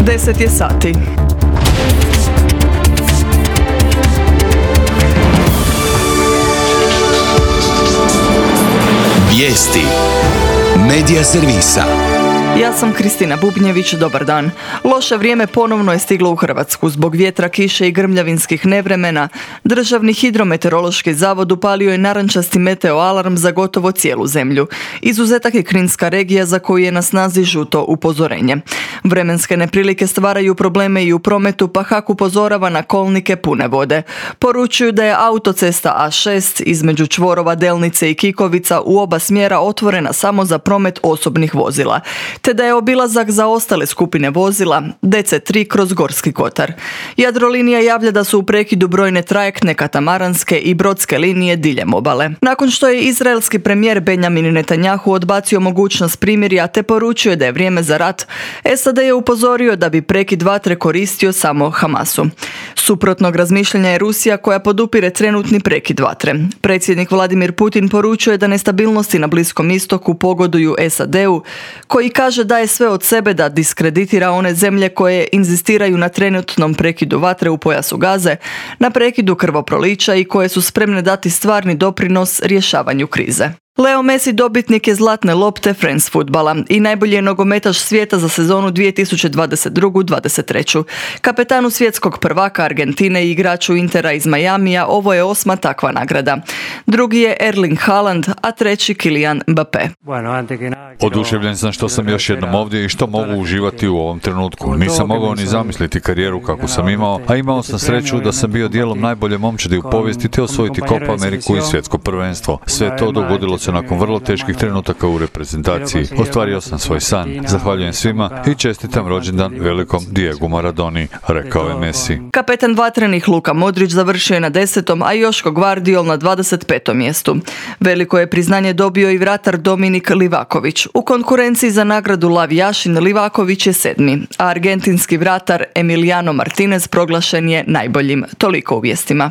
10 je sati. Vijesti Medija servisa. Ja sam Kristina Bubnjević, dobar dan. Loše vrijeme ponovno je stiglo u Hrvatsku. Zbog vjetra, kiše i grmljavinskih nevremena, Državni hidrometeorološki zavod upalio je narančasti meteoalarm za gotovo cijelu zemlju. Izuzetak je Kninska regija za koju je na snazi žuto upozorenje. Vremenske neprilike stvaraju probleme i u prometu, pa HAK upozorava na kolnike pune vode. Poručuju da je autocesta A6 između čvorova Delnice i Kikovica u oba smjera otvorena samo za promet osobnih vozila, te da je obilazak za ostale skupine vozila DC3 kroz Gorski kotar. Jadrolinija javlja da su u prekidu brojne trajektne, katamaranske i brodske linije diljem obale. Nakon što je izraelski premijer Benjamin Netanjahu odbacio mogućnost primirja te poručio da je vrijeme za rat, SAD je upozorio da bi prekid vatre koristio samo Hamasu. Suprotnog razmišljanja je Rusija koja podupire trenutni prekid vatre. Predsjednik Vladimir Putin poručuje da nestabilnosti na Bliskom istoku pogoduju SAD-u, koji kaže da je sve od sebe da diskreditira one zemlje koje inzistiraju na trenutnom prekidu vatre u pojasu Gaze, na prekidu krvoprolića i koje su spremne dati stvarni doprinos rješavanju krize. Leo Messi dobitnik je zlatne lopte France fudbala i najbolji je nogometaš svijeta za sezonu 2022-23. Kapetanu svjetskog prvaka Argentine i igraču Intera iz Majamija ovo je 8. takva nagrada. Drugi je Erling Haaland, a treći Kylian Mbappé. Oduševljen sam što sam još jednom ovdje i što mogu uživati u ovom trenutku. Nisam mogao ni zamisliti karijeru kakvu sam imao, a imao sam sreću da sam bio dijelom najbolje momčadi u povijesti te osvojiti Copa Ameriku i svjetsko prvenstvo. Sve to dogodilo se nakon vrlo teških trenutaka u reprezentaciji. Ostvario sam svoj san. Zahvaljujem svima i čestitam rođendan velikom Diegu Maradoni, rekao je Messi. Kapetan vatrenih Luka Modrić završio je na 10., a Joško Gvardiol na 25. mjestu. Veliko je priznanje dobio i vratar Dominik Livaković. U konkurenciji za nagradu Lav Jašin Livaković je 7., a argentinski vratar Emiliano Martinez proglašen je najboljim. Toliko u vijestima.